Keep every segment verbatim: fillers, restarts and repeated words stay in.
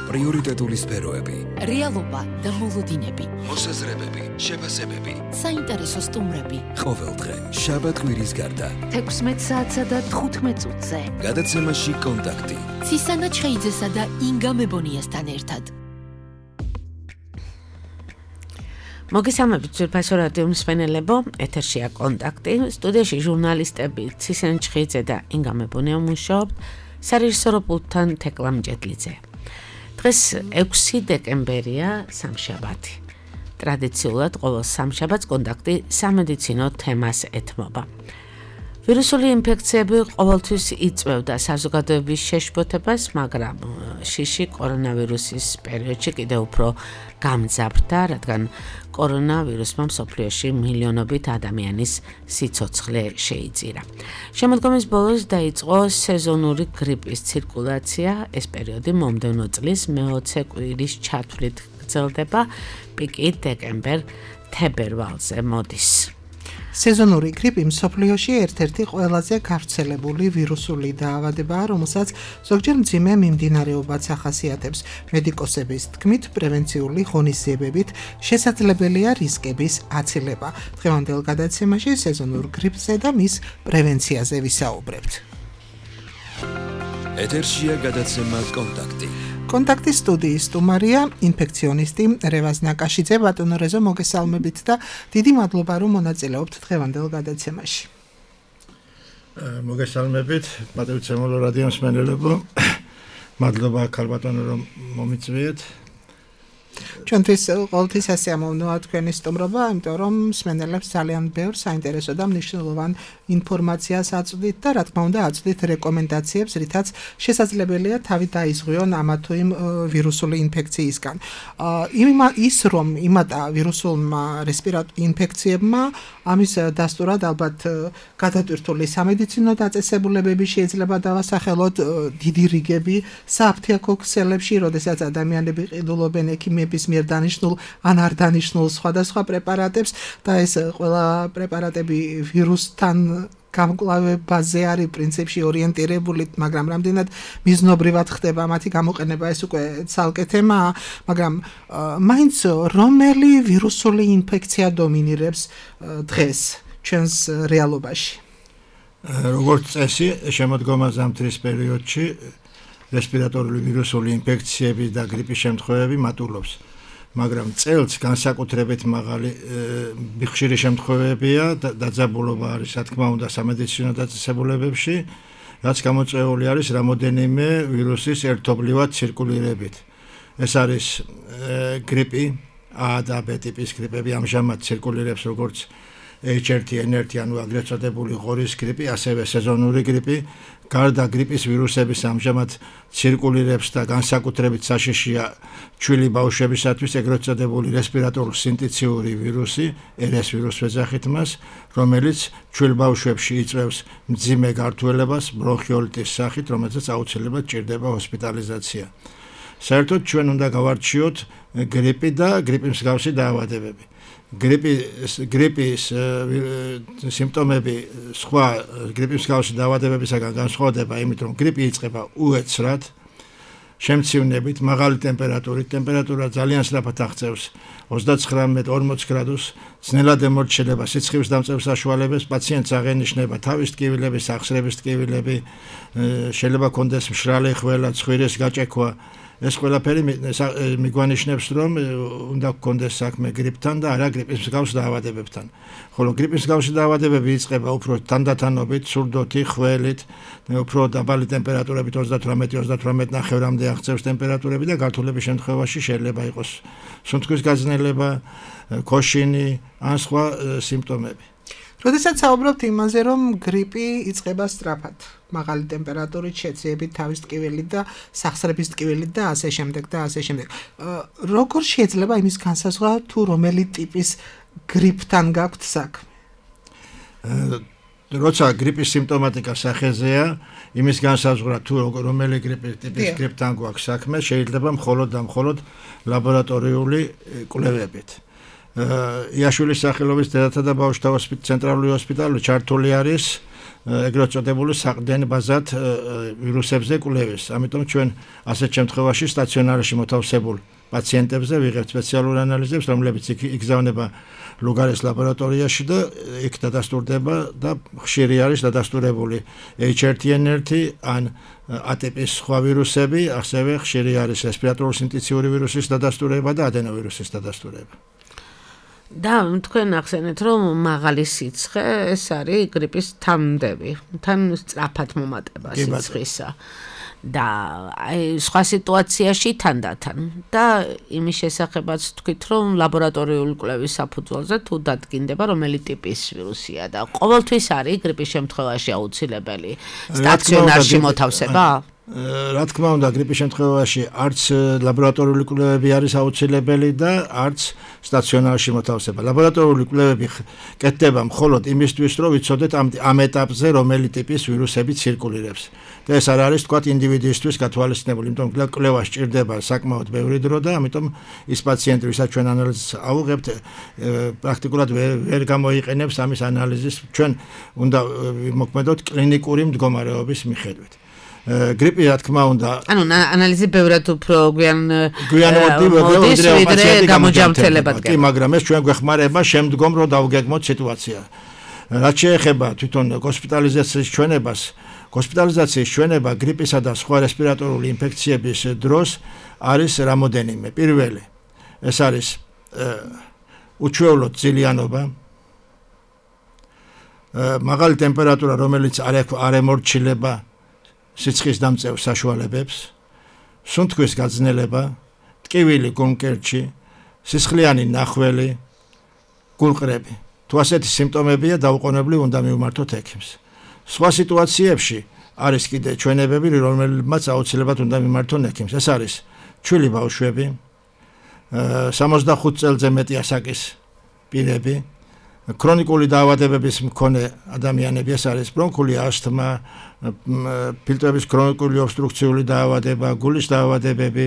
პრიორიტეტული სფეროები, რეალობა და მოლოდინები, მოსაზრებები, შეფასებები, საინტერესო სტუმრები. ყოველდღე შაბათ-კვირის გარდა თექვსმეტ საათსა და თხუთმეტ წუთზე. გადაცემაში კონტაქტი. ცისანა ჩხეიძესა და ინგა მებონიასთან ერთად. მოგესალმებით ძვირფასო რადიო მსმენელებო, ეთერშია კონტაქტი, სტუდიაში ჟურნალისტები ცისანა ჩხეიძე და ინგა მებონია მუშაობთ, სარეჟისორო პულტთან თეკლა მჭედლიძე. დღეს ექვსი დეკემბერია, სამშაბათი. ტრადიციულად ყოველ სამშაბათს კონტაქტი სამედიცინო თემას ეთმობა. ვირუსული ინფექციები ყოველთვის იწვევდა საზოგადოების შეშფოთებას, მაგრამ შიში კორონავირუსის პერიოდში კიდევ უფრო გამძაფრდა, რადგან კორონავირუსმა მსოფლიოში მილიონობით ადამიანის სიცოცხლე შეიწირა. შემოდგომის ბოლოს დაიწყო სეზონური გრიპის ცირკულაცია, ეს პერიოდი მომდევნო წლის მეოცე კვირის ჩათვლით გრძელდება, პიკი დეკემბერ-თებერვალზე მოდის. სეზონური გრიპი მსოფლიოში ერთ-ერთი ყველაზე გავრცელებული ვირუსული დაავადებაა, რომელსაც ზოგჯერ მძიმე მიმდინარეობაც ახასიათებს. მედიკოსების თქმით, პრევენციული ღონისძიებებით შესაძლებელია რისკების აცილება. დღევანდელ გადაცემაში სეზონურ გრიპზე და მის პრევენციაზე ვისაუბრებთ. ეთერშია გადაცემა კონტაქტი. კონტაქტის სტუდიის სტუმარია ინფექციონისტი რევაზ ნაკაშიძე. ბატონო რეზო, მოგესალმებით და დიდი მადლობა რომ მონაწილეობთ დღევანდელ გადაცემაში. მოგესალმებით, პატრიცემოლო რადიო მსმენელებო. მადლობა ქალბატონო რომ მომიწვიეთ. ჩვენთვის ყოველთვის ასე ამოვნოა თქვენი სტუმრობა, იმიტომ რომ მსმენელებს ძალიან ბევრ საინტერესო და მნიშვნელოვან ინფორმაციას აწვდით და რა თქმა უნდა აწვდით რეკომენდაციებს, რითაც შესაძლებელია თავი დაიზღვიონ ამა თუ იმ ვირუსული ინფექციისგან. ის რომ იმატა ვირუსულმა რესპირატორულ ინფექციებმა, ამის დასტურად ალბათ გადატვირთული სამედიცინო დაწესებულებები შეიძლება დავასახელოთ, დიდი რიგები საფთიაქო ქსელებში, როდესაც ადამიანები ყიდულობენ ექიმების მიერ დანიშნულ ან არ დანიშნულ სხვადასხვა პრეპარატებს და ეს ყველა პრეპარატები ვირუსთან გამკლავებაზე არის პრინციპში ორიენტირებული, მაგრამ რამდენად მიზნობრივად ხდება მათი გამოყენება, ეს უკვე ცალკე თემაა, მაგრამ მაინც რომელი ვირუსული ინფექცია დომინირებს დღეს ჩვენს რეალობაში? როგორც წესი, შემოდგომა ზამთრის პერიოდში რესპირატორული ვირუსული ინფექციები და გრიპის შემთხვევები მატულობს. მაგრამ წელს განსაკუთრებით მაღალი ხშირი შემთხვევებია და დაძაბულობა არის, რა თქმა უნდა, სამედიცინო დაწესებულებებში, რაც გამოწვეული არის რამოდენიმე ვირუსის ერთობლივად ცირკულირებით. ეს არის გრიპი, A და B ტიპის გრიპები ამჟამად ცირკულირებს როგორც H one N one, ანუ აგრეთ წოდებული ღორის გრიპი, ასევე სეზონური გრიპი. გარდა გრიპის ვირუსების ამჟამად ცირკულირებს და განსაკუთრებით საშიშია ჩვილი ბავშვებისათვის ეგრეთ წოდებული რესპირატორული სინტიციური ვირუსი, R S ვირუსს ვეძახით მას, რომელიც ჩვილ ბავშვებში იწვევს მძიმე გართულებას ბრონხიოლიტის სახით, რომელსაც აუცილებლად ჭირდება ჰოსპიტალიზაცია. საერთოდ ჩვენ უნდა გავარჩიოთ გრიპი და გრიპის მსგავსი დაავადებები. გრიპის გრიპის სიმპტომები სხვა გრიპის მსგავსი დაავადებებისაგან განსხვავდება იმით, რომ გრიპი იწყება უეცრად, შემცივნებით, მაღალი ტემპერატურით, ტემპერატურა ძალიან სწრაფად აღწევს ოცდათხმეტ ორმოც გრადუსს, ძნელად ემორჩილება სიცხის დამწევ საშუალებას, პაციენტს აღენიშნება თავის ტკივილების, ახსრების ტკივილები, შეიძლება კონდეს მშრალი ხველა, ცხვირის გაჭექვა. ეს ყველაფერი მიგვანიშნებს, რომ უნდა გქონდეს საქმე გრიპთან და არა გრიპის მსგავს დაავადებებთან. ხოლო გრიპის მსგავსი დაავადებები იწყება უფრო თანდათანობით, სურდოთი, ხველით, უფრო დაბალი ტემპერატურებით ოცდათვრამეტ ოცდათვრამეტ ნახევრამდე აღწევს ტემპერატურები და გართულების შემთხვევაში შეიძლება იყოს სუნთქვის გაძნელება, ქოშინი ან სხვა სიმპტომები. როდესაც საუბრობთ იმაზე, რომ გრიპი იწყება სწრაფად, მაღალი ტემპერატურით, შეძიებით თავის ტკივილით და სახსრების ტკივილით და ასე შემდეგ და ასე შემდეგ. როგორ შეიძლება იმის განსაზღვრა თუ რომელი ტიპის გრიპთან გაქვთ საქმე? როცა გრიპის სიმპტომატიკა სახეზეა, იმის განსაზღვრა თუ რომელი გრიპის ტიპის გრიპთან გვაქვს საქმე, შეიძლება მხოლოდ და მხოლოდ ლაბორატორიული კვლევებით. იაშვილის სახელობის დედათა და ბავშვთა ცენტრალური ჰოსპიტალი ჩართული არის ეგრეთ წოდებული საყრდენ ბაზად ვირუსებზე კვლევას. ამიტომ ჩვენ ასეთ შემთხვევაში სტაციონარში მოთავსებულ პაციენტებზე ვიღებთ სპეციალურ ანალიზებს, რომლებიც იგზავნება ლუგარის ლაბორატორიაში და იქ დადასტურდება და ხშირი არის დადასტურებული ეიჩ ერთ ენ ერთი ან ატიპის სხვა ვირუსები, ასევე ხშირი არის რესპირატორული სინთეზიური ვირუსის დადასტურება და ადენოვირუსის დადასტურება. და თქვენ ახსენეთ, რომ მაღალი სიცხე ეს არის გრიპის თანმდები, თან სწრაფად მომატება სიცხისა. და აი სხვა სიტუაციაში თანდათან და იმის შესახებაც თქვით რომ ლაბორატორიული კვლევის საფუძველზე თუ დადგინდება რომელი ტიპის ვირუსია და ყოველთვის არის გრიპის შემთხვევაში აუცილებელი სტაციონარში მოთავსება? რა თქმა უნდა გრიპის შემთხვევაში არც ლაბორატორიული კვლევები არის აუცილებელი და არც სტაციონარში მოთავსება. ლაბორატორიული კვლევები კეთდება მხოლოდ იმისთვის რომ ვიცოდეთ ამ ამ ეტაპზე რომელი ტიპის ვირუსები ცირკულირებს. და ეს არ არის თქვათ ინდივიდისთვის გათვალისწინებული, იმიტომ რომ კვლევა სჭირდება საკმაოდ ბევრი დრო და ამიტომ ის პაციენტი, ვისაც ჩვენ ანალიზს ავუღებთ, პრაქტიკულად ვერ გამოიყენებს ამის ანალიზის ჩვენ უნდა მოქმედოთ კლინიკური მდგომარეობის მიხედვით. გრიპი რა თქმა უნდა ანუ ანალიზი ბევრად უფრო გვიან მოდის ვიდრე გამოჯამრთელებად კი მაგრამ ეს ჩვენ გვეხმარება შემდგომ რომ დავგეგმოთ სიტუაცია რაც შეეხება თვითონ ჰოსპიტალიზაციის ჩვენებას ჰოსპიტალიზაციის ჩვენება გრიპისა და სხვა რესპირატორული ინფექციების დროს არის რამოდენიმე პირველი ეს არის უჩვეულო ძილიანობა მაღალი ტემპერატურა რომელიც არ ემორჩილება სიცხის დამწევ საშუალებებს, სუნთქვის გაძნელება, ტკივილი გულმკერდში, სისხლიანი ნახველი, გულყრები. თუ ასეთი სიმპტომებია, დაუყოვნებლივ უნდა მივმართოთ ექიმს. სხვა სიტუაციებში არის კიდე ჩვენებები, რომელმაც აუცილებლად უნდა მიმართონ ექიმს. ეს არის ჩვილი ბავშვები, სამოცდახუთ წელზე მეტი ასაკის პირები, ქრონიკული დაავადებების მქონე ადამიანები, ეს არის ბრონქული ასთმა, ფილტრების ქრონიკული ობსტრუქციული დაავადება, გულის დაავადებები,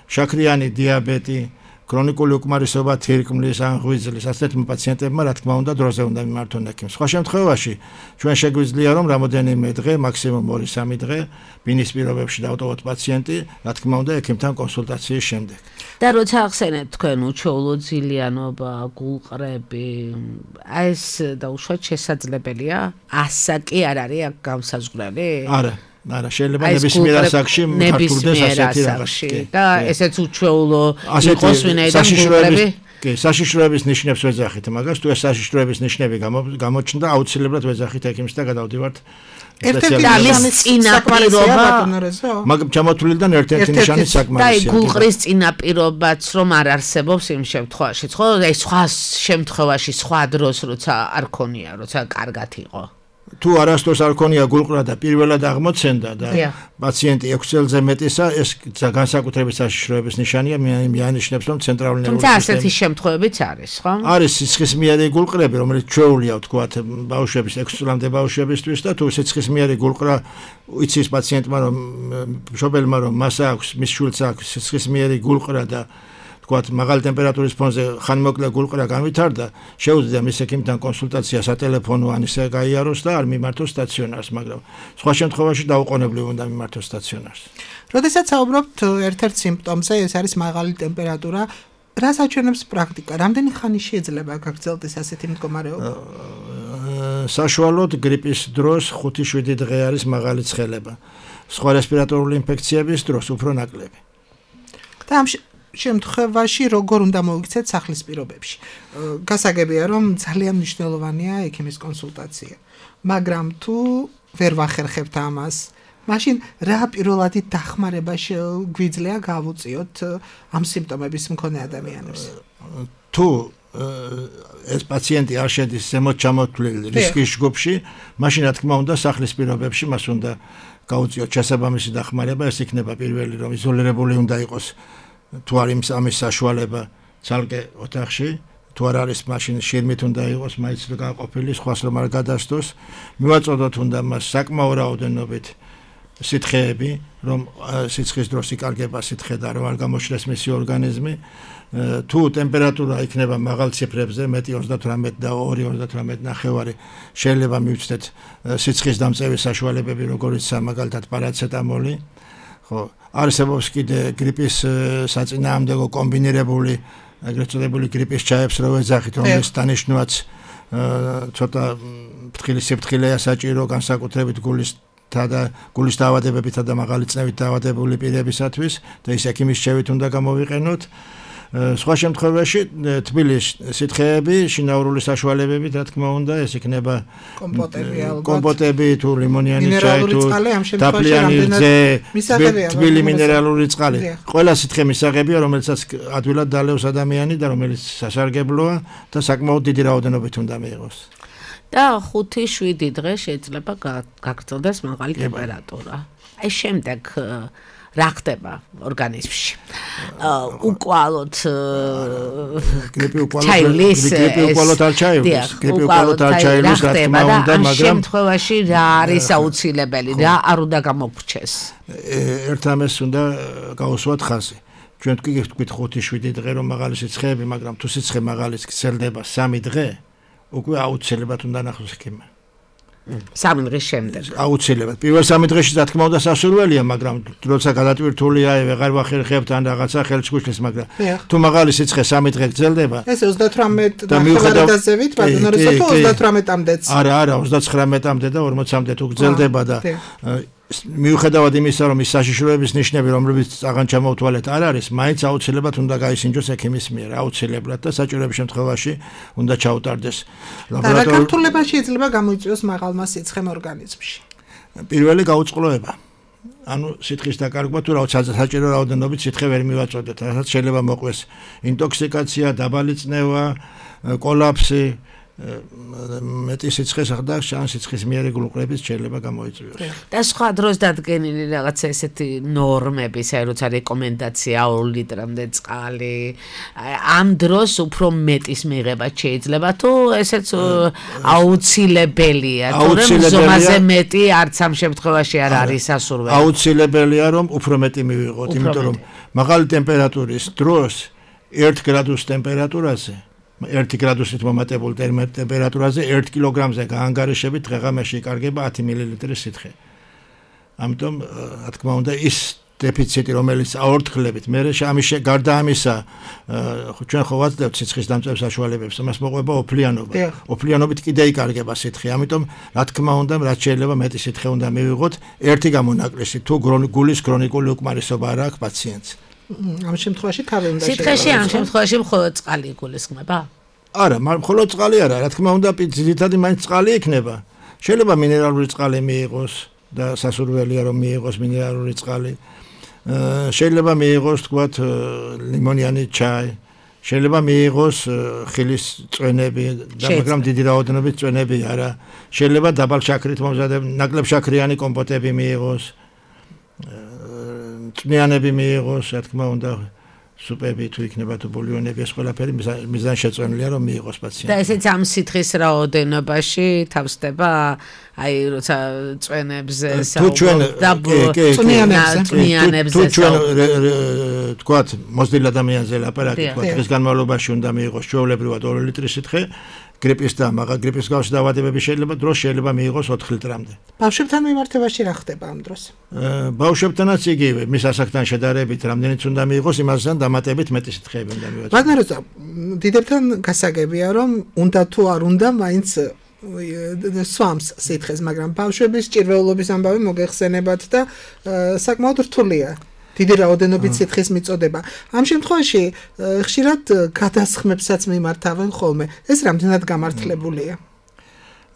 შაქრიანი დიაბეტი, ქრონიკული უკმარისობა თირკმლის ან ღვიძლის ასეთმა პაციენტებმა რა თქმა უნდა დროზე უნდა მიმართონ ექიმს. სხვა შემთხვევაში ჩვენ შეგვიძლია რომ რამოდენიმე დღე, მაქსიმუმ ორი სამი დღე ბინის პირობებში დავტოვოთ პაციენტი, რა თქმა უნდა ექიმთან კონსულტაციის შემდეგ. და როცა ახსენეთ თქვენ უჩვეულო ძილიანობა, გულყრები, აი ეს დაუშვათ შესაძლებელია? ასაკი არ არის აქ გამსაზღვრელი? არა. არა, შეიძლება ნებისმიერ ასაკში მართულდეს ასეთი რაღაცა. და ესეც უჩვეულო იყოს ვინაიდან გულყრები? კი, საშიშროების ნიშნებს ვეძახით, მაგას თუ ეს საშიშროების ნიშნები გამოჩნდა, აუცილებლად ვეძახით ექიმს და გადავდივართ სპეციალისტის წინაპირობა. მაგ ჩამოთვლილიდან ერთ-ერთი ნიშანი საკმარისია. და აი გულყრის წინაპირობაც რომ არ არსებობს იმ შემთხვევაში, ხო? აი სხვა შემთხვევაში, სხვა დროს როცა არ ქონია, როცა კარგად იყო. თუ არასდროს არ ქონია გულყრა და პირველად აღმოცენდა და პაციენტი ექვსი წელზე მეტისა, ეს განსაკუთრებით საშიშროების ნიშანია, მიანიშნებს რომ ცენტრალური ნერვული სისტემა. თუმცა ასეთი შემთხვევებიც არის, ხო? არის სისხლისმიერი გულყრები, რომელიც ჩვეულია ვთქვათ ბავშვების ექვსი წლამდე ბავშვებისთვის და თუ სისხლისმიერი გულყრა იცის პაციენტმა რომ მშობელმა რომ მას აქვს, მის შვილს აქვს სისხლისმიერი გულყრა და თქვათ მაღალი ტემპერატურის ფონზე ხანმოკლე გულყრა განვითარდა, შეუძლია მის ექიმთან კონსულტაცია სატელეფონო ან ისე გაიაროს და არ მიმართოს სტაციონარს, მაგრამ სხვა შემთხვევაში დაუყოვნებლივ უნდა მიმართოს სტაციონარს. როდესაც საუბრობთ ერთ-ერთ სიმპტომზე, ეს არის მაღალი ტემპერატურა, რას აჩვენებს პრაქტიკა? რამდენი ხანი შეიძლება გაგრძელდეს ასეთი მდგომარეობა? საშუალოდ გრიპის დროს ხუთი შვიდი დღე არის მაღალი ცხელება. სხვა რესპირატორული ინფექციების დროს უფრო ნაკლები. და ამ შემთხვევაში როგორ უნდა მოიქცეთ სახლის პირობებში? გასაგებია რომ ძალიან მნიშვნელოვანია ექიმის კონსულტაცია, მაგრამ თუ ვერ ვახერხებთ ამას, მაშინ რა პირველადი დახმარება გვიძლია გავუწიოთ ამ სიმპტომების მქონე ადამიანებს? თუ ეს პაციენტი არ შედის ზემოთ ჩამოთვლილ რისკის ჯგუფში, მაშინ რა თქმა უნდა სახლის პირობებში მას უნდა გავუწიოთ შესაბამისი დახმარება, ეს იქნება პირველი რომ იზოლირებული უნდა იყოს თუ არ იმის ამის საშუალება ცალკე ოთახში, თუ არ არის მაშინ შირმით უნდა იყოს, მაინც გაყოფილი, სხვას რომ არ გადასდოს, მივაწოდოთ უნდა მას საკმაო რაოდენობით სითხეები, რომ სიცხის დროს იკარგება სითხე და რომ არ გამოშლეს მისი ორგანიზმი. თუ ტემპერატურა იქნება მაღალ ციფრებზე, მეტი ოცდათვრამეტი და ორი ოცდათვრამეტი ნახევარი, შეიძლება მივცდეთ სიცხის დამწევის საშუალებები, როგორიცაა მაგალითად პარაცეტამოლი. ხო, არსებობს კიდე გრიპის საწინააღმდეგო კომბინირებული, ეგრეთ წოდებული გრიპის ჩაებს რო ეძახით, რომლის დანიშნულაც ცოტა ფრთხილი სიფრთხილეა საჭირო, განსაკუთრებით გულის და გულის დაავადებებითა და მაღალი წნევით დაავადებული პირებისათვის და ის ექიმის რჩევით უნდა გამოვიყენოთ. სხვა შემთხვევაში თბილი სითხეები, შინაურული საშუალებებით, რა თქმა უნდა, ეს იქნება კომპოტები ალბათ. კომპოტები თუ ლიმონიანი ჩაი თუ დაფლიანი რძე, თბილი მინერალური წყალი. ყველა სითხე მისაღებია, რომელსაც ადვილად დალევს ადამიანი და რომელიც სასარგებლოა და საკმაოდ დიდი რაოდენობით უნდა მიიღოს. და ხუთი შვიდი დღე შეიძლება გაგრძელდეს მაღალი ტემპერატურა. აი შემდეგ რა ხდება ორგანიზმში? უკვალოდ გრიპი უკვალოდ გრიპი უკვალოდ არ ჩაივლის, გრიპი უკვალოდ არ ჩაივლის, რა თქმა უნდა, მაგრამ ამ შემთხვევაში რა არის აუცილებელი, რა არ უნდა გამოგრჩეს? ერთ ამას უნდა გავუსვათ ხაზი. ჩვენ თქვით ხუთი შვიდი დღე რომ მაღალი სიცხეები, მაგრამ თუ სიცხე მაღალის გრძელდება სამი დღე, უკვე აუცილებლად უნდა ნახოს ექიმი. სამი დღის შემდეგ. აუცილებლად. პირველ სამი დღეში რა თქმა უნდა სასურველია, მაგრამ როცა გადატვირთულია, ვეღარ ვახერხებთ ან რაღაცა ხელს გუშლის, მაგრამ თუ მაღალი სიცხე სამი დღე გრძელდება. ეს ოცდათვრამეტი ნახევარდაზევით, ბატონო, როცა ოცდათვრამეტამდეც. არა, არა, ოცდათხრამეტამდე და ორმოცამდე თუ გრძელდება და მიუხედავად იმისა, რომ ის საშიშროების ნიშნები, რომლებიც აღარ ჩამოვთვალეთ, არ არის, მაინც აუცილებლად უნდა გაისინჯოს ექიმის მიერ, აუცილებლად და საჭიროების შემთხვევაში უნდა ჩაუტარდეს ლაბორატორიაში. რა გართულებაში შეიძლება გამოიწვიოს მაღალმა სიცხემ ორგანიზმში? პირველი გაუწყლოება. ანუ სითხის დაკარგვა თუ რაღაც საჭირო რაოდენობით სითხე ვერ მივაწოდეთ, რასაც შეიძლება მოყვეს ინტოქსიკაცია, დაბალი წნევა, კოლაფსი, მეტი სიცხეს ახდა შანსი სიცხის მიერი გლუყრების შეიძლება გამოიწვიოს. და სხვა დროს დადგენილი რაღაც ესეთი ნორმები, საერთოდ როცა რეკომენდაცია ორი ლიტრამდე წყალი, ამ დროს უფრო მეტის მიღება შეიძლება თუ ესეც აუცილებელია, თორემ ზომაზე მეტი არც ამ შემთხვევაში არ არის სასურველი. აუცილებელია რომ უფრო მეტი მივიღოთ, იმიტომ რომ მაღალი ტემპერატურის დროს ერთ გრადუს ტემპერატურაზე ერთი გრადუსით მომატებულ ტემპერატურაზე ერთ კილოგრამზე გაანგარიშებით დღეღამეში იკარგება ათი მილილიტრი სითხე. ამიტომ, რა თქმა უნდა, ის დეფიციტი, რომელიც აორთქლებით, მე ამის გარდა ამისა, ჩვენ ხო ვაძლევთ სიცხის დამწევის საშუალებებს, მას მოყვება ოფლიანობა. ოფლიანობით კიდე იკარგება სითხე. ამიტომ, რა თქმა უნდა, რაც შეიძლება მეტი სითხე უნდა მივიღოთ, ერთი გამონაკლისი, თუ გულის ქრონიკული უკმარისობა არ აქვს პაციენტს. ამ შემთხვევაში თავი უნდა შეგვიძლია. სითხეში ამ შემთხვევაში მხოლოდ წყალი იგულისხმება? არა, მხოლოდ წყალი არა, რა თქმა უნდა, ძირითადად მაინც წყალი იქნება. შეიძლება მინერალური წყალი მიიღოს და სასურველია რომ მიიღოს მინერალური წყალი. შეიძლება მიიღოს, თქვათ, ლიმონიანი ჩაი. შეიძლება მიიღოს ხილის წვენები, მაგრამ დიდი რაოდენობით წვენები არა. შეიძლება დაბალ შაქრით მომზადებული, ნაკლებ შაქრიანი კომპოტები მიიღოს. წვნიანები მიიღოს, რა თქმა უნდა, სუპები თუ იქნება თუ ბულიონები, ეს ყველაფერი მიზანშეწონილია რომ მიიღოს პაციენტი. და ესეც ამ სითხის რაოდენობაში თავსდება, აი როცა წვენებზე საუბრობთ და წვნიანებზე. თუ ჩვენ თქვათ, მოზრდილ ადამიანზე ლაპარაკი, თქვათ, დღის განმავლობაში უნდა მიიღოს ჩვეულებრივად ორი ლიტრი სითხე. გრიპის და მაღალ გრიპის გავსი დაავადებები შეიძლება დროს შეიძლება მიიღოს ოთხ litrამდე. ბავშვებთან მიმართებაში რა ხდება ამ დროს? ბავშვებთანაც იგივე, მის ასაკთან შედარებით რამდენიც უნდა მიიღოს, იმასთან დამატებით მეტი სითხეები უნდა მივაწოდოს. მაგრამ დიდებთან გასაგებია, რომ უნდა თუ არ უნდა, მაინც სვამს სითხეს, მაგრამ ბავშვების ჭირვეულობის ამბავი მოგეხსენებათ და საკმაოდ რთულია. დიდი რაოდენობით სითხის მიწოდება. ამ შემთხვევაში ხშირად გადასხმებსაც მიმართავენ ხოლმე. ეს რამდენად გამართლებულია?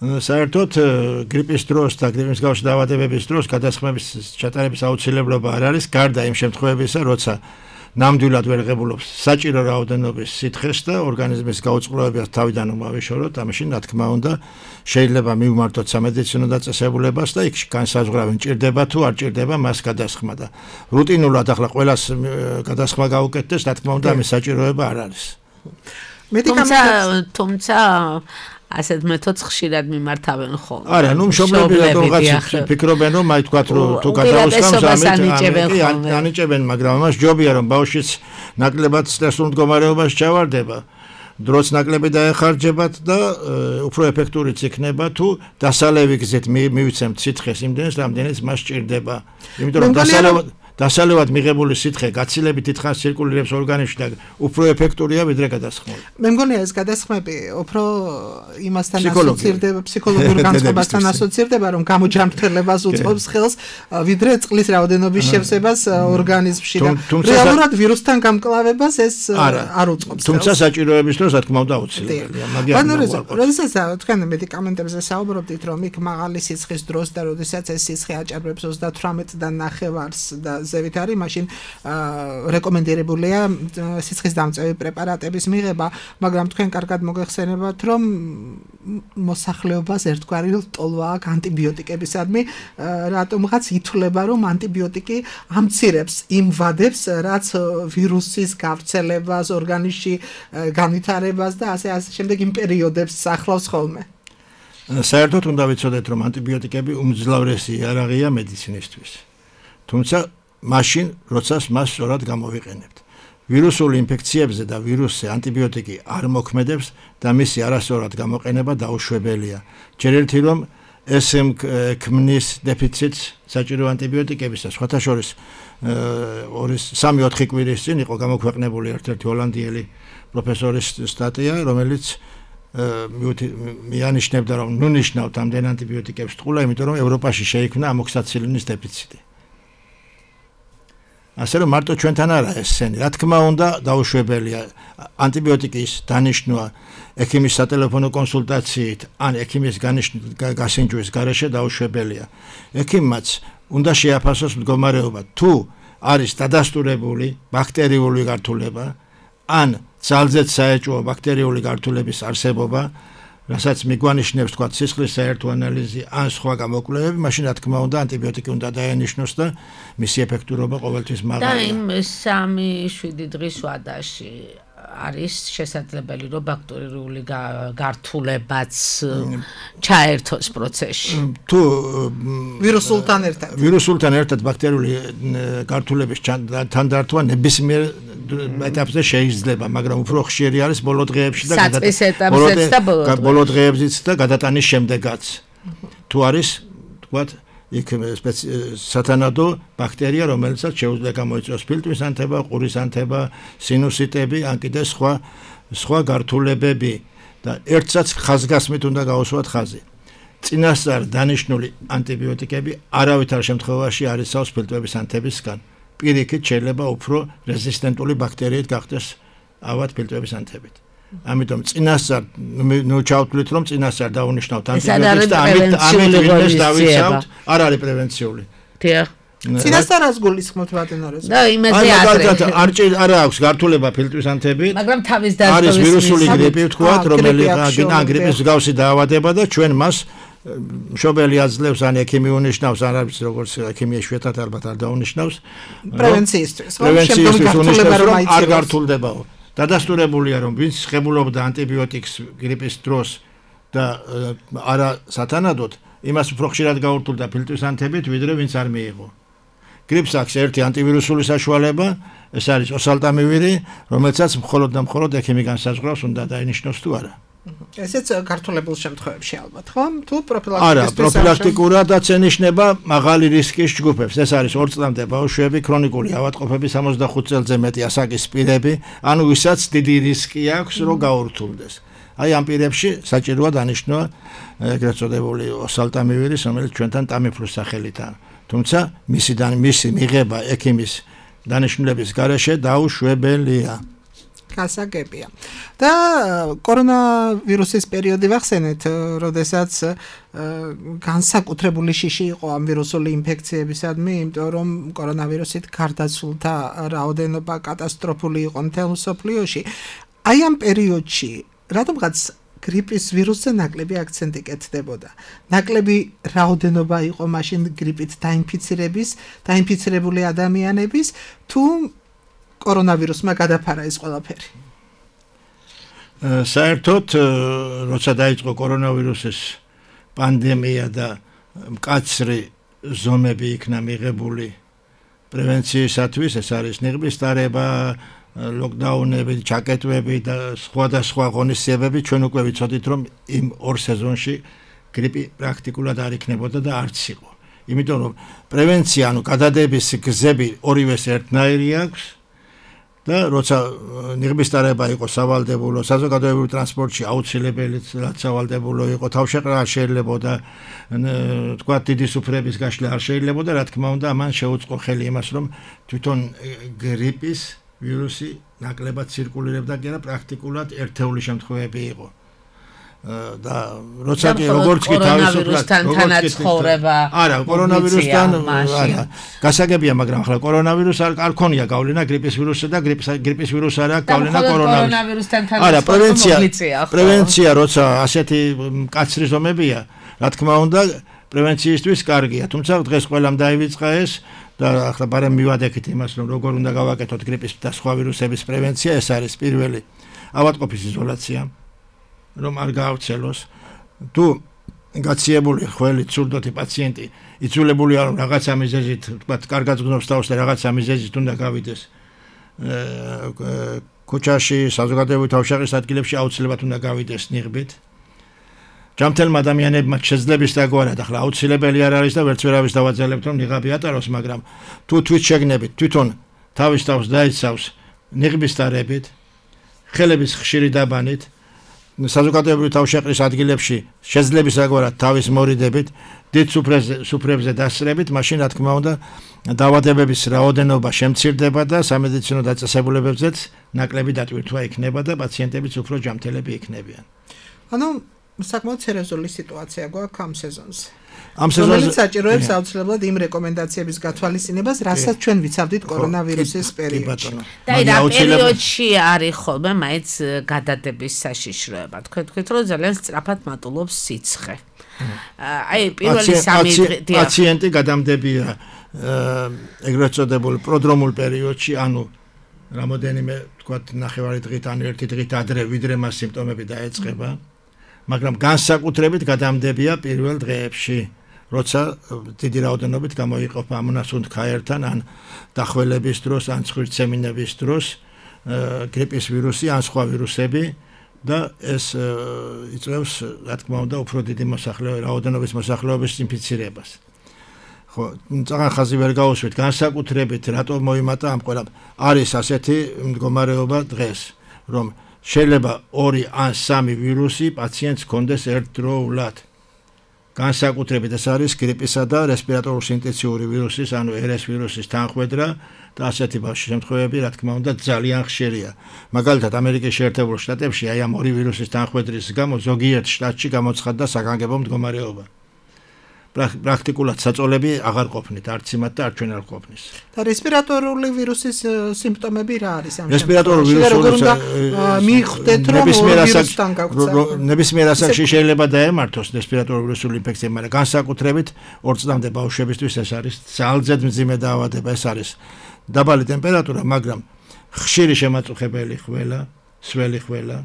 საერთოდ გრიპის დროს და გრიპის მსგავსი დაავადებების დროს გადასხმების ჩატარების აუცილებლობა არ არის, გარდა იმ შემთხვევებისა, როცა ნამდვილად ვერ ღებულობს საჭირო რაოდენობის სითხეს და ორგანიზმის გაუწყლოებას თავიდან უმავიშოროთ, ამაში რა თქმა უნდა შეიძლება მივმართოთ სამედიცინო დაწესებულებას და იქ განსაზღვრავენ ჭირდება თუ არ ჭირდება მას გადასხმა და რუტინულად ახლა ყველას გადასხმა გაუკეთდეს, რა თქმა უნდა ამის საჭიროება არ არის. თუმცა თუმცა ასეთ მეთოდს ხშირად მიმართავენ ხოლმე. არა, ნუ მშობლები რატომღაც ფიქრობენ, რომ აი თქვათ, რომ თუ გადაუსხამს ამით ანიჭებენ, მაგრამ ამას ჯობია, რომ ბავშვიც ნაკლებად სტრესულ მდგომარეობაში ჩავარდება. დროც ნაკლები დაეხარჯებათ და უფრო ეფექტურიც იქნება თუ დასალევი გზით მივიცემთ სითხეს იმდენს, რამდენიც მას სჭირდება. იმიტომ რომ დასალევად დასალევად მიღებული სითხე გაცილებით დიდხანს ცირკულირებს ორგანიზმში და უფრო ეფექტურია ვიდრე გადასხმული. მე მგონია ეს გადასხმები უფრო იმასთან ასოცირდება, ფსიქოლოგიურ განწყობასთან ასოცირდება, რომ გამოჯანმრთელებას უწყობს ხელს, ვიდრე წყლის რაოდენობის შევსებას ორგანიზმში და რეალურად ვირუსთან გამკლავებას ეს არ უწყობს. თუმცა საჭიროების დროს რა თქმა უნდა აუცილებელია, მაგრამ როდესაც თქვენ მედიკამენტებზე საუბრობდით, რომ იქ მაღალი სიცხის დროს და როდესაც ეს სიცხე აჭარბებს ოცდათვრამეტ და ნახევარს და ზევით არის, მაშინ რეკომენდირებულია სიცხის დამწევი პრეპარატების მიღება, მაგრამ თქვენ კარგად მოგეხსენებათ, რომ მოსახლეობას ერთგვარი ტოლვა აქვს ანტიბიოტიკებისადმი, რატომღაც ითვლება, რომ ანტიბიოტიკი ამცირებს იმ ვადებს, რაც ვირუსის გავრცელებას, ორგანიზმში განვითარებას და ასე ასე შემდეგ იმ პერიოდებს ახლავს ხოლმე. საერთოდ უნდა ვიცოდეთ, რომ ანტიბიოტიკები უმძლავრესი იარაღია მედიცინისთვის. თუმცა მაშინ, როცა მას სწორად გამოვიყენებთ. ვირუსული ინფექციებზე და ვირუსზე ანტიბიოტიკი არ მოქმედებს და მისი არასწორად გამოყენება დაუშვებელია. ჯერ ერთი რომ ეს ქმნის დეფიციტს საჭირო ანტიბიოტიკების და სხვათა შორის სამი ოთხი კვირის წინ იყო გამოქვეყნებული ერთ-ერთი ჰოლანდიელი პროფესორის სტატია, რომელიც მიანიშნებდა, რომ ნუ ნიშნავთ ამდენ ანტიბიოტიკებს ტყულა, იმიტომ რომ ევროპაში შეიქმნა ამოქსიცილინის დეფიციტი. ასე რომ მარტო ჩვენთან არა ეს სენი, რა თქმა უნდა დაუშვებელია ანტიბიოტიკის დანიშნვა ექიმის სატელეფონო კონსულტაციით ან ექიმის გასინჯვის გარეშე დაუშვებელია. ექიმმაც უნდა შეაფასოს მდგომარეობა, თუ არის დადასტურებული ბაქტერიული გართულება ან ძალზედ საეჭვო ბაქტერიული გართულების არსებობა, რასაც მიგვანიშნებს თქვა სისხლის საერთო ანალიზი ან სხვა გამოკვლევები, მაშინ რა თქმა უნდა ანტიბიოტიკი უნდა დაენიშნოს და მისი ეფექტურობა ყოველთვის მაღალია. და იმ სამი შვიდი დღის ვადაში არის შესაძლებელი, რომ ბაქტერიული გართულებაც ჩაერთოს პროცესში. თუ ვირუსულთან ერთად ვირუსულთან ერთად ბაქტერიული გართულების თანდართვა ნებისმიერ ეტაპზე შეიძლება, მაგრამ უფრო ხშირი არის ბოლო დღეებში და საწყის ეტაპზეც და ბოლო დღეებზეც და გადატანის შემდეგაც. თუ არის, თქვათ, იქ სათანადო ბაქტერია, რომელსაც შეუძლია გამოიწვიოს ფილტვის ანთება, ყურის ანთება, სინუსიტები, ან კიდე სხვა სხვა გართულებები და ერთსაც ხაზგასმით უნდა გაუსვათ ხაზი. წინასწარ დანიშნული ანტიბიოტიკები არავითარ შემთხვევაში არ იცავს ფილტვების ანთებისგან. პირიქით შეიძლება უფრო რეზისტენტული ბაქტერიით გახდეს ავად ფილტვების ანთებით. ამიტომ წინასწარ ნუ ჩავთვლით, რომ წინასწარ დაუნიშნავთ ანტიბიოტიკს და ამით ამით ვინმეს დავიცავთ, არ არის პრევენციული. დიახ. წინასწარას გულისხმობთ ბატონორეს. და იმაზე ადრე არ აქვს გართულება ფილტვის ანთებით. მაგრამ თავის დაზღვევის არის ვირუსული გრიპი ვთქვათ, რომელიც ან გრიპის მსგავსი დაავადება და ჩვენ მას მშობელი აძლევს ან ექიმი უნიშნავს, არ არის როგორც ექიმი შვედად ალბათ არ დაუნიშნავს. პრევენციისთვის. პრევენციისთვის უნიშნავს, რომ არ გართულდებაო. დადასტურებულია, რომ ვინც ხებულობდა ანტიბიოტიკს გრიპის დროს და არა სათანადოდ, იმას უფრო ხშირად გაურთულდა ფილტვის ანთებით, ვიდრე ვინც არ მიიღო. გრიპს აქვს ერთი ანტივირუსული საშუალება, ეს არის ოსალტამივირი, რომელსაც მხოლოდ და მხოლოდ ექიმი განსაზღვრავს, უნდა დაინიშნოს თუ არა. ესეც გართულებულ შემთხვევებში ალბათ, ხო? თუ პროფილაქტიკას არა, პროფილაქტიკურადაც ენიშნება მაღალი რისკის ჯგუფებს. ეს არის ორ წლამდე ბავშვები, ქრონიკული ავადმყოფები, სამოცდახუთ წელზე მეტი ასაკის პირები, ანუ ვისაც დიდი რისკი აქვს, რომ გაურთულდეს. აი ამ პირებში საჭიროა დანიშნვა ეგრეთ წოდებული ოსალტამივირის, რომელიც ჩვენთან ტამიფლუს სახელითაა. თუმცა მისი მისი მიღება ექიმის დანიშნულების გარეშე დაუშვებელია. გასაგებია. და კორონავირუსის პერიოდი ვახსენეთ, როდესაც განსაკუთრებული შიში იყო ამ ვირუსული ინფექციებისადმი, იმიტომ რომ კორონავირუსით გარდაცვლილთა რაოდენობა კატასტროფული იყო მთელ მსოფლიოში. აი ამ პერიოდში რატომღაც გრიპის ვირუსზე ნაკლები აქცენტი კეთდებოდა. ნაკლები რაოდენობა იყო მაშინ გრიპით დაინფიცირების, დაინფიცირებული ადამიანების, თუ კორონავირუსმა გადაფარა ეს ყველაფერი. საერთოდ როცა დაიწყო კორონავირუსის პანდემია და მკაცრი ზომები იქნა მიღებული პრევენციისათვის, ეს არის ნიღბის დარება, ლოკდაუნები, ჩაკეტვები და სხვადასხვა ღონისძიებები, ჩვენ უკვე ვიცოდით, რომ იმ ორ სეზონში გრიპი პრაქტიკულად არ იქნებოდა და არც იყო. იმიტომ რომ პრევენცია, ანუ გადადების გზები ორივეს ერთნაირი აქვს და როცა ნიღბის დარება იყო სავალდებულო, საზოგადოებრივ ტრანსპორტში აუცილებელი სავალდებულო იყო, თავშეყრა არ შეიძლებოდა, თქვა დიდი სუფრების გაშლა არ შეიძლებოდა, რა თქმა უნდა, ამან შეუწყო ხელი იმას, რომ თვითონ გრიპის ვირუსი ნაკლებად ცირკულირებდა და პრაქტიკულად ერთეული შემთხვევები იყო. და როცა კი როგორც კი თავისუფლად როგორც ცხოვრება არა კორონავირუსთან არა გასაგებია მაგრამ ახლა კორონავირუსს არ ქონია გავლენა გრიპის ვირუსზე და გრიპის გრიპის ვირუსს არა გავლენა კორონავირუსთან არა პრევენცია პრევენცია როცა ასეთი მკაცრი ზომებია რა თქმა უნდა პრევენციისთვის კარგია თუმცა დღეს ყველამ დაივიწყა ეს და ახლა ბარემ მივადექით იმას რომ როგორ უნდა გავაკეთოთ გრიპის და სხვა ვირუსების პრევენცია ეს არის პირველი ავადმყოფის იზოლაცია რომ არ გაავრცელოს თუ გაციებული ხელი ცურდოთი პაციენტი იცვლებული არ რაღაცა მიზეზით თქვათ კარგად გზნობს თავს და რაღაცა მიზეზით უნდა გავიდეს ქუჩაში საზოგადოებრივ თავშეყრის ადგილებში აუცილებლად უნდა გავიდეს ნიღბით ჯამთელმა ადამიანებმა შეძლების დაგვარად ახლა აუცილებელი არ არის და ვერც ვერავის დავაძლებთ რომ ნიღაბი ატაროს მაგრამ თუ თვით შეგნებით თვითონ თავის თავს დაიცავს ნიღბის დარებით ხელების ხშირი დაბანით საზოგადოებრივ თავშეყრის ადგილებში შეძლების დაგვარად თავის მორიდებით დიდ სუფრებზე დასწრებით მაშინ რა თქმა უნდა დაავადებების რაოდენობა შემცირდება და სამედიცინო დაწესებულებებზეც ნაკლები დატვირთვა იქნება და პაციენტებიც უფრო ჯამთელები იქნებიან. ანუ საკმაოდ სერიოზული სიტუაცია გვაქვს ამ სეზონზე. ამ სეზონზე საჭიროებს აუცილებლად იმ რეკომენდაციების გათვალისწინებას, რასაც ჩვენ ვიცავდით კორონავირუსის პერიოდში. და რა პერიოდში არის ხოლმე მაინც გადადების საშიშროება. თქვენ თქვით რომ ძალიან სწრაფად მატულობს სიცხე. აი პირველი სამი პაციენტი გადამდებია ეგრეთ წოდებულ პროდრომულ პერიოდში, ანუ რამოდენიმე თქვათ ნახევარი დღით ან ერთი დღით ადრე ვიდრე მას სიმპტომები დაეწყება. მაგრამ განსაკუთრებით გადამდებია პირველ დღეებში, როცა დიდი რაოდენობით გამოიყოფა ამონასუნთქაერთან ან დახველების დროს, ან ცხვრცემინების დროს გრიპის ვირუსი ან სხვა ვირუსები და ეს იწვევს, რა თქმა უნდა, უფრო დიდი მოსახლეობის რაოდენობის მოსახლეობის ინფიცირებას. ხო, ძალიან ხაზი ვერ გაუსვით, განსაკუთრებით რატო მოიმატა ამ ყველამ. არის ასეთი მდგომარეობა დღეს, რომ შეიძლება ორი ან სამი ვირუსი პაციენტს ჰქონდეს ერთდროულად. განსაკუთრებით ეს არის გრიპისა და რესპირატორული ინფექციური ვირუსის, ანუ ერ ეს ვირუსის თანხმედრა და ასეთი შემთხვევები, რა თქმა უნდა, ძალიან ხშირია. მაგალითად, ამერიკის შეერთებულ შტატებში აი ამ ორი ვირუსის თანხმედრის გამო ზოგიერთ შტატში გამოცხადდა საგანგებო მდგომარეობა. პრაქტიკულად საწოლები აღარ ყოფნით, არც იმათ და არც ჩვენ არ ყოფნის. და რესპირატორული ვირუსის სიმპტომები რა არის ამ შემთხვევაში? რესპირატორული ვირუსი მიხვდეთ რომ ვირუსთან გაგვცემა. ნებისმიერ ასაკში შეიძლება დაემართოს რესპირატორული ვირუსული ინფექცია, მაგრამ განსაკუთრებით ორ წლამდე ბავშვებისთვის ეს არის ძალზედ მძიმე დაავადება, ეს არის დაბალი ტემპერატურა, მაგრამ ხშირი შემაწუხებელი ხველა, სველი ხველა,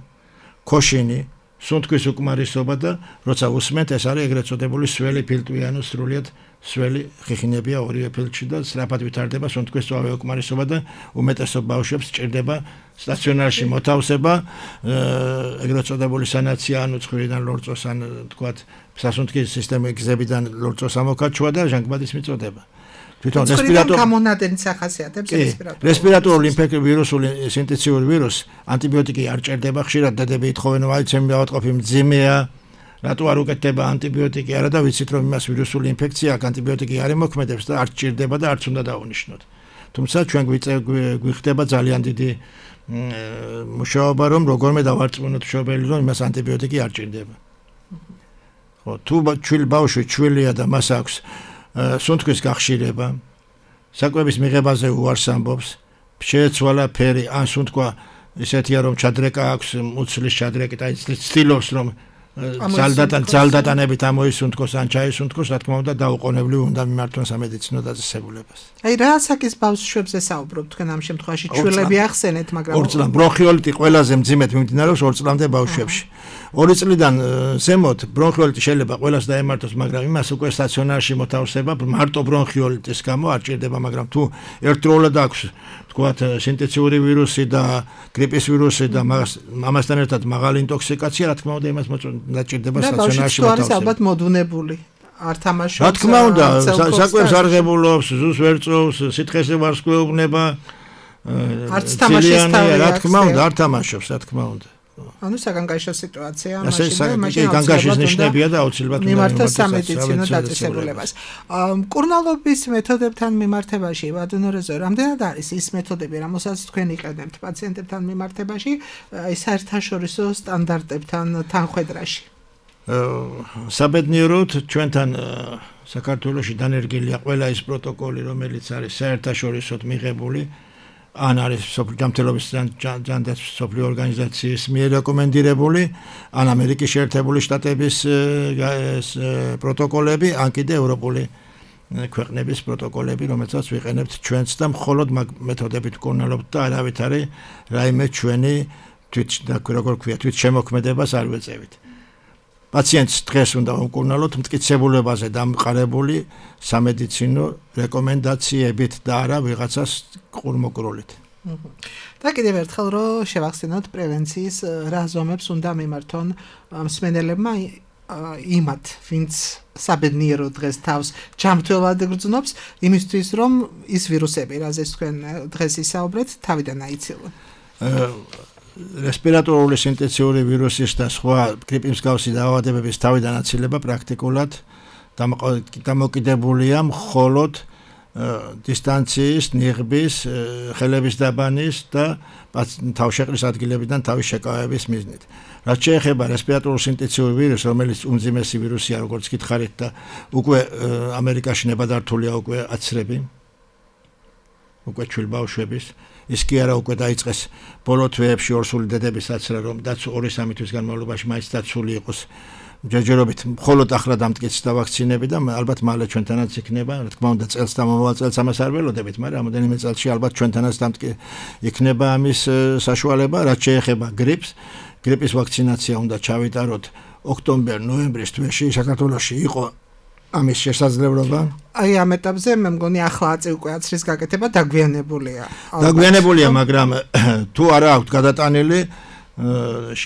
ქოშინი სუნთქვის უკმარისობა და როცა უსმენთ ეს არის ეგრეთ წოდებული სველი ფილტვი ანუ სრულიად სველი ხიხინებია ორივე ფილტში და სწრაფად ვითარდება სუნთქვის სწვავე უკმარისობა და უმეტესობა ბავშვებს სჭირდება სტაციონარში მოთავსება ეგრეთ წოდებული სანაცია ანუ ცხვირიდან ლორწოს ან თქვათ სასუნთქის სისტემის გზებიდან ლორწოს ამოკაჩვა და ჟანგბადის მიწოდება. თვითონ რესპირატორული გამონადენი სახასიათებს რესპირატორული რესპირატორული ვირუსული ინფექციური ვირუს ანტიბიოტიკი არ ჭირდება ხშირად დედები ეთხოვენ რომ აი ჩემი ავადმყოფი მძიმეა რატო არ უკეთდება ანტიბიოტიკი არა და ვიცით რომ იმას ვირუსული ინფექცია აქვს ანტიბიოტიკი არ ემოქმედებს და არ ჭირდება და არც უნდა დაუნიშნოთ თუმცა ჩვენ გვიხდება ძალიან დიდი მუშაობა რომ როგორმე დავარწმუნოთ მშობელი რომ იმას ანტიბიოტიკი არ ჭირდება ხო თუ ჩვილი ბავშვი ჩვილია და მას აქვს სუნთქვის გახშირება, საკვების მიღებაზე უარს ამბობს, შეეცვალა ფერი, ან სუნთქვა ისეთია რომ ჩადრეკა აქვს, მუცლის ჩადრეკით, აი ცდილობს რომ ძალდატან ძალდატანებით ამოისუნთქოს ან ჩაისუნთქოს, რა თქმა უნდა, დაუყოვნებლივ უნდა მიმართონ სამედიცინო დაწესებულებას. აი რა ასაკის ბავშვებზე საუბრობთ თქვენ ამ შემთხვევაში? ჩვილები ახსენეთ, მაგრამ ორ წლამდე ბრონხიოლიტი ყველაზე მძიმედ მიმდინარეობს ორ წლამდე ბავშვებში. ორი წლიდან ზემოთ ბრონხიოლიტი შეიძლება ყველას დაემართოს, მაგრამ იმას უკვე სტაციონარში მოთავსება მარტო ბრონხიოლიტის გამო არ ჭირდება, მაგრამ თუ ერთდროულად აქვს თქვათ სინთეზიური ვირუსი და გრიპის ვირუსი და ამასთან ერთად მაღალი ინტოქსიკაცია, რა თქმა უნდა, იმას დაჭირდება სტაციონარში მოთავსება. და ალბათ მოდუნებული არ თამაშობს. რა თქმა უნდა, საკვებს არღებულობს, ზუსტ ვერ წოვს, სითხეზე ვარსკვლეუბნება. არც თამაშის თავი აქვს. რა თქმა უნდა, არ თამაშობს, რა თქმა უნდა. ანუ საგანგაშო სიტუაცია მაშინ მაშინ განგაშის ნიშნებია და აუცილებლად უნდა მიმართოს სამედიცინო დაწესებულებას. მკურნალობის მეთოდებთან მიმართებაში ბატონორეზო, რამდენად არის ის მეთოდები, რომელსაც თქვენ იყენებთ პაციენტებთან მიმართებაში, აი საერთაშორისო სტანდარტებთან თანხვედრაში? საბედნიეროდ ჩვენთან საქართველოში დანერგილია ყველა ის პროტოკოლი, რომელიც არის საერთაშორისოდ მიღებული. ან არის ჯანმრთელობის ჯანდაცვის მსოფლიო ორგანიზაციის მიერ რეკომენდირებული, ან ამერიკის შეერთებული შტატების პროტოკოლები, ან კიდე ევროპული ქვეყნების პროტოკოლები, რომელსაც ვიყენებთ ჩვენც და მხოლოდ მაგ მეთოდებით ვკურნალობთ და არავითარი რაიმე ჩვენი თვით როგორ ქვია, თვით შემოქმედებას არ ვეწევით. პაციენტს დღეს უნდა ვკურნალოთ მტკიცებულებაზე დამყარებული სამედიცინო რეკომენდაციებით და არა ვიღაცას ყურმოკროლით. და კიდევ ერთხელ რომ შევახსენოთ პრევენციის რა ზომებს უნდა მიმართონ მსმენელებმა იმათ, ვინც საბედნიერო დღეს თავს ჯანმრთელად გრძნობს, იმისთვის რომ ის ვირუსები, რაზეც თქვენ დღეს ისაუბრეთ, თავიდან აიცილონ. რესპირატორული სინთეზიური ვირუსის და სხვა გრიპის მსგავსი დაავადებების თავიდან აცილება პრაქტიკულად დამოკიდებულია მხოლოდ დისტანციის, ნიღბის, ხელების დაბანის და თავშეყრის ადგილებიდან თავის შეკავების მიზნით. რაც შეეხება რესპირატორულ სინთეზიურ ვირუსს, რომელიც უმძიმესი ვირუსია, როგორც გითხარით და უკვე ამერიკაში ნებადართულია უკვე აცრები, უკვე ჩვილ ბავშვების ის კი არა უკვე დაიწყეს ბოლო თვეებში ორსული დედების აცრა, რომ ორი სამი თვის განმავლობაში მაინც დაცული იყოს ჯერჯერობით მხოლოდ ახლა დამტკიცდა ვაქცინები და ალბათ მალე ჩვენთანაც იქნება, რა თქმა უნდა წელს და მომავალ წელს ამას არ ველოდებით, მაგრამ რამოდენიმე წელში ალბათ ჩვენთანაც იქნება ამის საშუალება. რაც შეეხება გრიპს, გრიპის ვაქცინაცია უნდა ჩავიტაროთ ოქტომბერ-ნოემბრის თვეში საქართველოში იყო ამის შესაძლებლობა. აი ამ ეტაპზე მე მგონი ახლა აწი უკვე აცრის გაკეთება დაგვიანებულია. დაგვიანებულია, მაგრამ თუ არა აქვს გადატანილი,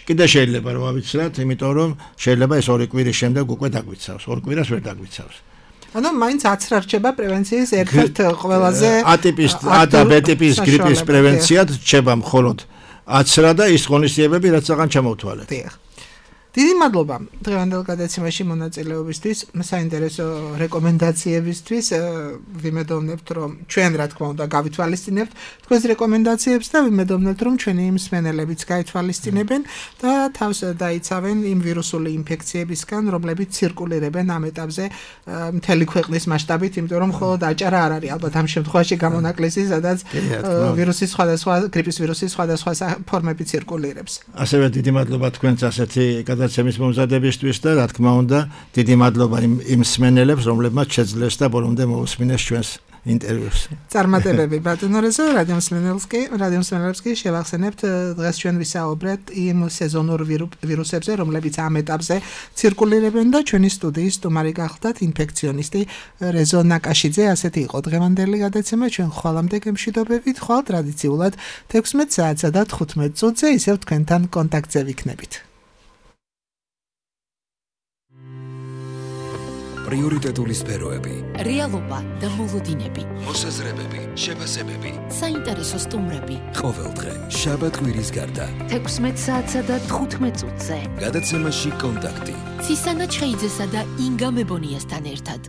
კიდე შეიძლება რომ ავიცრათ, იმიტომ რომ შეიძლება ეს ორი კვირის შემდეგ უკვე დაგვიცავს, ორ კვირას ვერ დაგვიცავს. ანუ მაინც აცრა რჩება პრევენციის ერთ-ერთ ყველაზე ატიპის A და B ტიპის გრიპის პრევენციად რჩება მხოლოდ აცრა და ის ღონისძიებები, რაც აღარ ჩამოვთვალეთ. დიდი მადლობა დღევანდელ გადაცემაში მონაწილეობისთვის, საინტერესო რეკომენდაციებისთვის. ვიმედოვნებთ, რომ ჩვენ რა თქმა უნდა გავითვალისწინებთ თქვენს რეკომენდაციებს და ვიმედოვნებთ, რომ ჩვენი მსმენელებიც გაითვალისწინებენ და თავს დაიცავენ იმ ვირუსული ინფექციებისგან, რომლებიც ცირკულირებენ ამ ეტაპზე მთელი ქვეყნის მასშტაბით, იმიტომ რომ მხოლოდ აჭარა არ არის ალბათ ამ შემთხვევაში გამონაკლისი, სადაც ვირუსის სხვადასხვა გრიპის ვირუსის სხვადასხვა ფორმები ცირკულირებს. ასევე დიდი მადლობა თქვენს ასეთი გადაცემის მომზადებისთვის და რა თქმა უნდა დიდი მადლობა იმ იმ მსმენელებს, რომლებმაც შეძლეს და ბოლომდე მოусმინეს ჩვენს ინტერვიუს. წარმატებები ბატონორეზო, რადიო მსმენელსკი, რადიო მსმენელსკი შევახსენებთ დღეს ჩვენ ვისაუბრეთ იმ სეზონურ ვირუსებზე, რომლებიც ამ ეტაპზე ცირკულირებენ და ჩვენი სტუდიის სტუმარი გახლდათ ინფექციონისტი რეზო ნაკაშიძე. ასეთი იყო დღევანდელი გადაცემა. ჩვენ ხვალამდე გემშვიდობებით, ხვალ ტრადიციულად თექვსმეტ საათსა და თხუთმეტ წუთზე ისევ თქვენთან კონტაქტზე ვიქნებით. პრიორიტეტული სფეროები, რეალობა და მოლოდინები, მოსაზრებები, შეფასებები, საინტერესო სტუმრები. ყოველდღე შაბათ კვირის გარდა თექვსმეტ საათსა და თხუთმეტ წუთზე გადაცემაში კონტაქტი. ცისანა ჩხეიძესა და ინგა მებონიასთან ერთად.